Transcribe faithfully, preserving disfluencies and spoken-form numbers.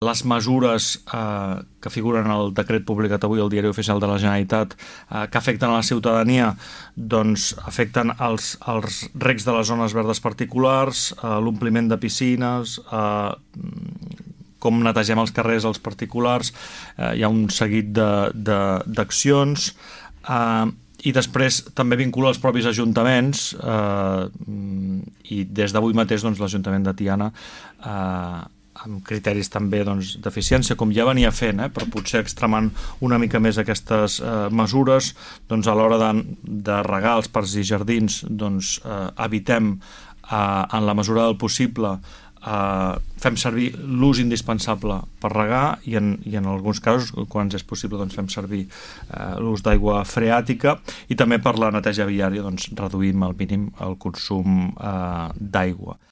Les mesures eh, que figuren al decret publicat avui al Diari Oficial de la Generalitat eh, que afecten a la ciutadania doncs afecten els, els recs de les zones verdes particulars, eh, l'ompliment de piscines, eh, com netegem els carrers als particulars, eh, hi ha un seguit d'accions eh, i després també vincula els propis ajuntaments eh, i des d'avui mateix doncs, l'Ajuntament de Tiana eh, amb criteris també doncs, d'eficiència, com ja venia fent, eh, però potser extremant una mica més aquestes eh, mesures, doncs a l'hora de, de regar els parcs i jardins doncs, eh, evitem eh, en la mesura del possible eh, fem servir l'ús indispensable per regar i en, i en alguns casos, quan és possible, doncs, fem servir eh, l'ús d'aigua freàtica i també per la neteja viària doncs, reduïm al mínim el consum eh, d'aigua.